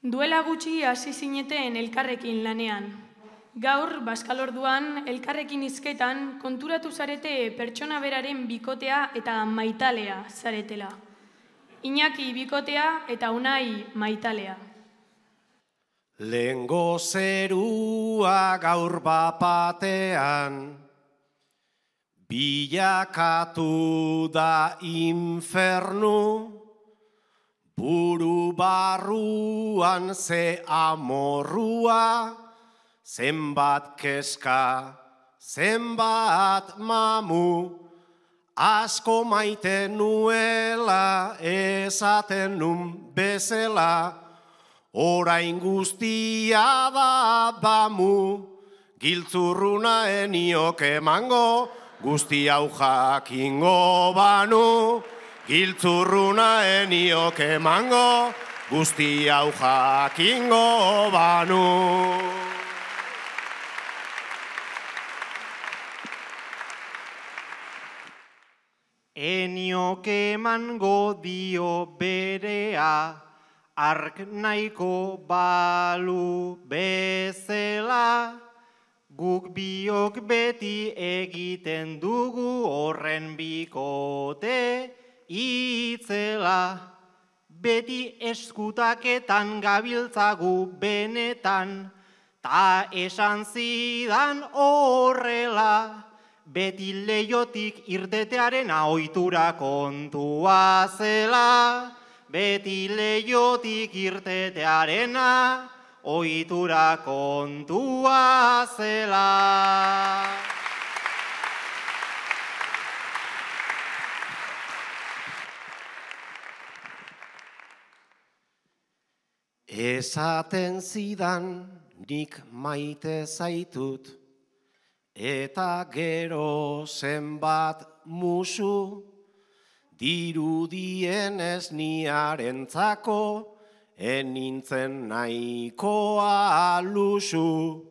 Duela gutxi hasi zineten elkarrekin lanean. Gaur, Baskalorduan, elkarrekin hizketan konturatu zarete pertsona beraren bikotea eta maitalea zaretela. Iñaki bikotea eta Unai maitalea. Lehengo zerua gaur bapatean, bilakatu da infernu, buru barruan ze amorrua, zenbat keska, zenbat mamu, asko maite nuela esaten nun bezela, orain guztia da damu, giltzurruna eniok emango, guzti hau jakingo banu, giltzurruna eniok emango, guzti hau jakingo banu. Eniok emango dio berea, ark nahiko balu bezela, guk biok beti egiten dugu horren bikote itzela. Beti eskutaketan gabiltzagu benetan, ta esan zidan horrela. Beti leiotik irtetearen ohitura kontua zela. Beti leiotik irtetearena ohitura kontua zela. Esaten zidan nik maite zaitut, eta gero zenbat musu, dirudienez niarentzako, enintzen nahikoa lusu.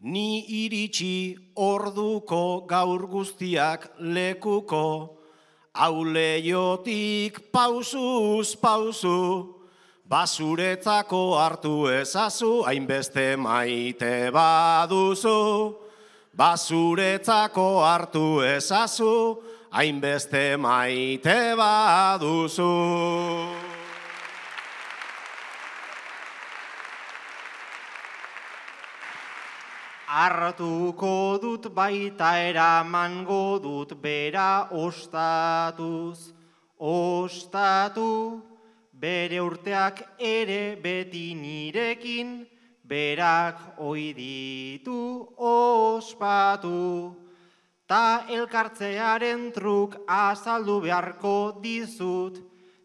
Ni iritsi orduko gaur guztiak lekuko, hau leiotik pausuz pausu, basuretzako hartu ezazu, hainbeste maite baduzu. Basuretzako hartu ezazu, hainbeste maite baduzu. Hartuko dut baita eramango dut bera ostatuz, ostatu, bere urteak ere beti nirekin, berak ohi ditu ospatu. Ta elkartzearen truk azaldu beharko dizut,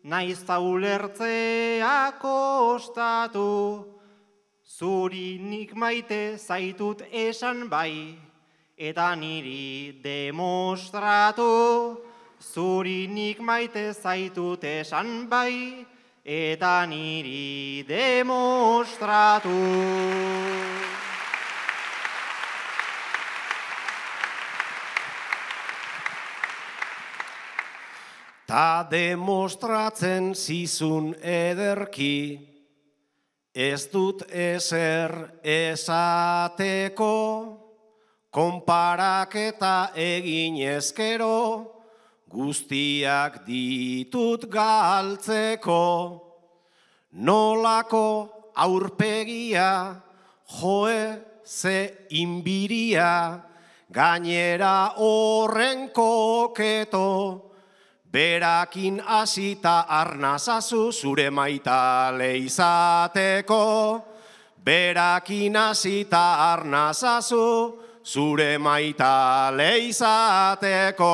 naiz ta ulertzea kostatu. Zuri nik maite zaitut esan bai, eta niri demostratu. Zuri nik maite zaitut esan bai, eta niri demostratu. Ta demostratzen zizun ederki, ez dut ezer esateko, konparaketa egin ezkero, guztiak ditut galtzeko. Nolako aurpegia, joe ze inbiria, gainera horren koketo, berakin hasita arnazazu zure maitale izateko. Berakin hasita arnazazu zure maitale izateko.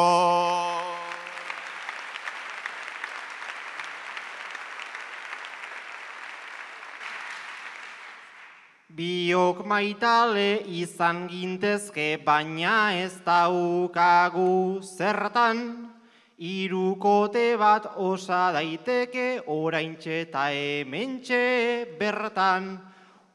Biok maitale izan gintezke, baina ez daukagu zertan. Hirukote bat osa daiteke, oraintxe eta hementxe bertan.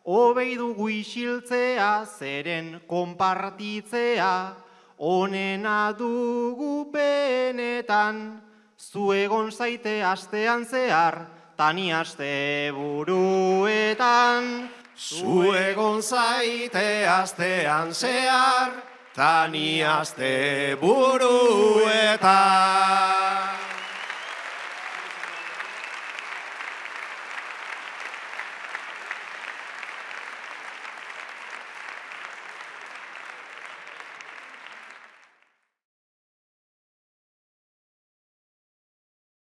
Hobei dugu isiltzea, zeren konpartitzea, onena dugu benetan. Zu egon zaite astean zehar, tani aste buruetan. buruetan, Zu egon zaite astean zehar, tani aste buruetan.